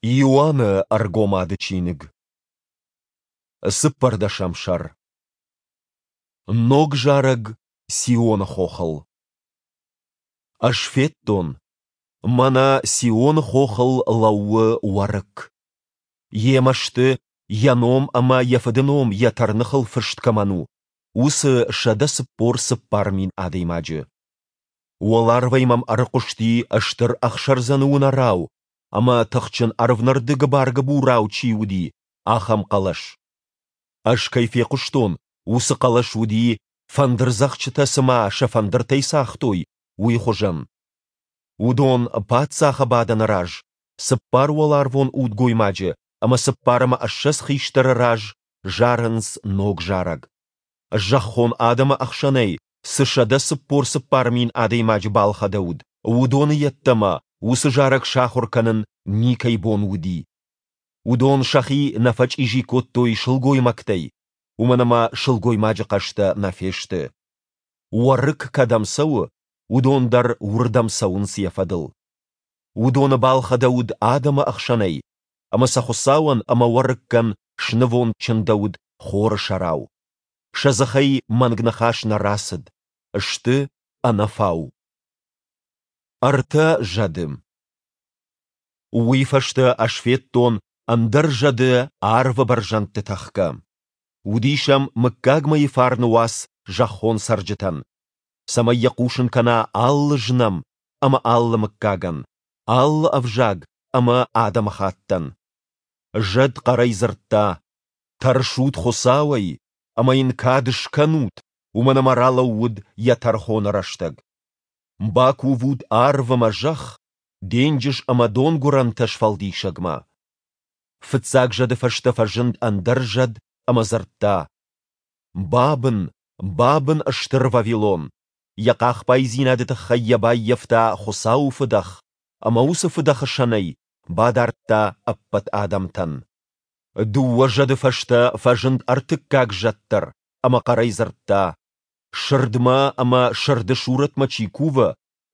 Иоанны Ӕргомады чиныг. Цыппӕрдӕсӕм сӕр. Ног зарӕг Сионы хохыл. Ӕз федтон, мӕнӕ Сионы хохыл лӕууы Уӕрыкк. Йемӕ сты, йӕ ном ӕмӕ йӕ фыды ном йӕ тӕрныхыл фыст кӕмӕн у, уыцы 144 000 адӕймаджы. Уӕларвӕй мӕм ӕрыхъуысти стыр ӕхсӕрдзӕны уынӕрау ӕмӕ тыхджын ӕрвнӕрды гыбар-гыбурау чи уыди, ахӕм хъӕлӕс. Ӕз кӕй фехъуыстон, уыцы хъӕлӕс уыди, фӕндырдзӕгъдджытӕ цыма сӕ фӕндыртӕй цагътой, уый хуызӕн. Уыдон паддзахы бадӕны раз, цыппар уӕларвон удгоймаджы ӕмӕ 24 хистӕры раз зарынц ног зарӕг. Зӕххон адӕмы ӕхсӕнӕй цы 144 000 адӕймаджы балхӕдӕуыд, уыдоны йеддӕмӕ уыцы зарӕг сахуыр кӕнын никӕй бон уыди. Уыдон сӕхи нӕ фӕчъизи кодтой сылгоймӕгтӕй, уымӕн ӕмӕ сылгоймаджы хъӕстӕ нӕ фесты. Уӕрыкк кӕдӕм цӕуы, уыдон дӕр уырдӕм цӕуынц йӕ фӕдыл. Уыдоны балхӕдӕуыд адӕмы ӕхсӕнӕй, ӕмӕ сӕ Хуыцауӕн ӕмӕ Уӕрыккӕн снывонд чындӕуыд хоры сӕрау. Сӕ дзыхӕй мӕнг ныхас нӕ рацыд, сты ӕнӕфау. Ӕртӕ зӕды. Уый фӕстӕ ӕз федтон ӕндӕр зӕды арвы бӕрзӕндты тӕхгӕ. Уыдис ӕм мыггагмӕйы фарны уац зӕххон цӕрджытӕн, цӕмӕй йӕ хъусын кӕна алы знӕм ӕмӕ алы мыггагӕн, алы ӕвзаг ӕмӕ адӕмыхаттӕн. Зӕд хъӕрӕй дзырдта, Тӕрсут Хуыцауӕй ӕмӕ йын кад скӕнут, уымӕн ӕмӕ ралӕууыд йӕ тӕрхоны рӕстӕг. Бакувут арв ӕмӕ зӕхх, денджыз ӕмӕ донгуырӕнтӕ сфӕлдисӕгмӕ. Фыццаг зӕды фӕстӕ фӕзынд ӕндӕр зӕд ӕмӕ дзырдта, Бабын, бабын стыр Вавилон! Йӕ хъахбайдзинады тыххӕй йӕ баййӕфта Хуыцауы фыдӕх, ӕмӕ уыцы фыдӕхы сӕнӕй бадардта ӕппӕт адӕмтӕн. Дыууӕ зӕды фӕстӕ фӕзынд ӕртыккаг зӕд дӕр ӕмӕ хъӕрӕй дзырдта, Сырдмӕ ӕмӕ сырды сурӕтмӕ чи кувы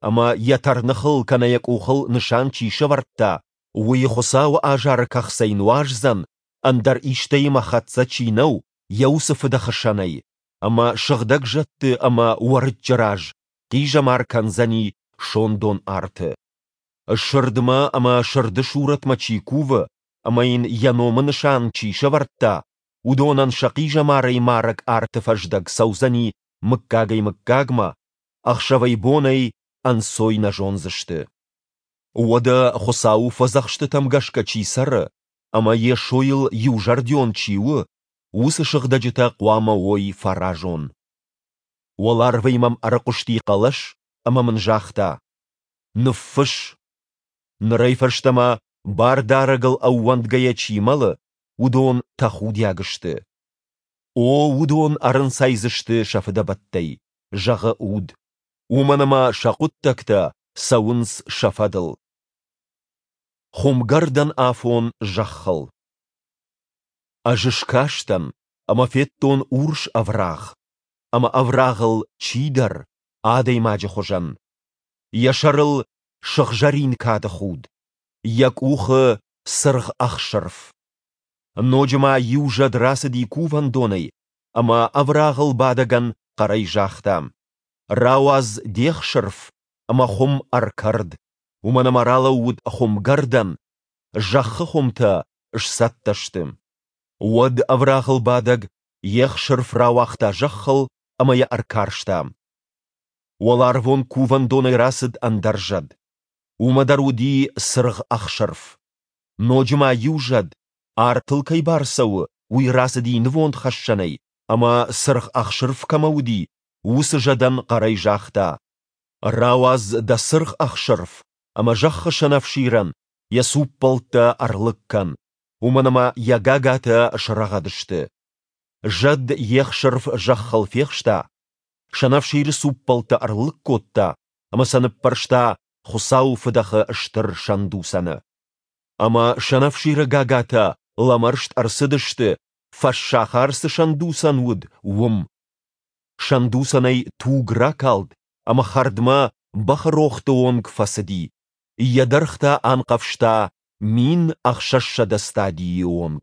ӕмӕ йӕ тӕрныхыл кӕнӕ йӕ къухыл нысан чи сӕвӕрдта, уый Хуыцауы азары кӕхцӕй нуаздзӕн, ӕндӕр истӕимӕ хӕццӕ чи нӕу, йӕ уыцы фыдӕхы сӕнӕй, ӕмӕ сыгъдӕг зӕдты ӕмӕ Уӕрыччы раз хъизӕмар кӕндзӕни сондон арты. Сырдмӕ ӕмӕ сырды сурӕтмӕ чи кувы ӕмӕ йын йӕ номы нысан чи сӕвӕрдта, уыдонӕн сӕ хъизӕмарӕй марӕг арты фӕздӕг цӕудзӕни мыггагӕй-мыггагмӕ, ӕхсӕвӕй-бонӕй ӕнцой нӕ зондзысты. Уӕдӕ Хуыцауы фӕдзӕхстытӕм гӕсгӕ чи цӕры ӕмӕ Йесойыл иузӕрдион чи у, уыцы сыгъдӕджытӕ хъуамӕ уой фӕразон. Уӕларвӕй мӕм ӕрыхъуысти хъӕлӕс ӕмӕ мын загъта: Ныффысс! Нырӕй фӕстӕмӕ Бардарӕгыл ӕууӕндгӕйӕ чи мӕлы, уыдон тӕхудиаг сты. О, уыдон ӕрынцайдзысты сӕ фыдӕбӕттӕй, зӕгъы Уд, уымӕн ӕмӕ сӕ хъуыддӕгтӕ цӕуынц сӕ фӕдыл. Хуымгӕрдӕн афон зӕххыл. Ӕз скастӕн ӕмӕ федтон урс ӕврагъ, ӕмӕ ӕврагъыл чидӕр, адӕймаджы хуызӕн. Йӕ сӕрыл сыгъзӕрин кады худ, йӕ къухы цыргъ ӕхсырф. Ноджы ма иу зӕд рацыди кувӕндонӕй ӕмӕ ӕврагъыл бадӕгӕн хъӕрӕй загъта: Рауадз де хсырф ӕмӕ хуым ӕркӕрд, уымӕн ӕмӕ ралӕууыд хуымгӕрдӕн, зӕххы хуымтӕ сцӕттӕ сты. Уӕд ӕврагъыл бадӕг йе хсырф рауагъта зӕххыл ӕмӕ йӕ ӕркарста. Уӕларвон кувӕндонӕй рацыд ӕндӕр зӕд. Уымӕ дӕр уыди цыргъ ӕхсырф. Ноджы ма иу зӕд, артыл кӕй бар цӕуы, уый рацыди нывондхӕссӕнӕй ӕмӕ, цыргъ ӕхсырф кӕмӕ уыди, уыцы зӕдӕн хъӕрӕй загъта: Рауадз дӕ цыргъ ӕхсырф ӕмӕ зӕххы сӕнӕфсирӕн йӕ цуппӕлттӕ ӕрлыг кӕн, уымӕн ӕмӕ йӕ гагатӕ срӕгъӕд сты. Зӕд йе хсырф зӕххыл фехста, сӕнӕфсиры цуппӕлттӕ ӕрлыг кодта ӕмӕ сӕ ныппӕрста Хуыцауы фыдӕхы стыр сӕндуцӕны. Ӕмӕ сӕнӕфсиры гагатӕ лӕмӕрст ӕрцыдысты, фӕссахар цы сӕндуцӕн уыд, уым. Сӕндуцӕнӕй туг ракалд ӕмӕ хӕрдмӕ бӕхы рохты онг фӕцыди, йӕ дӕргъ та анхъӕвзта. 1600 стадийы онг.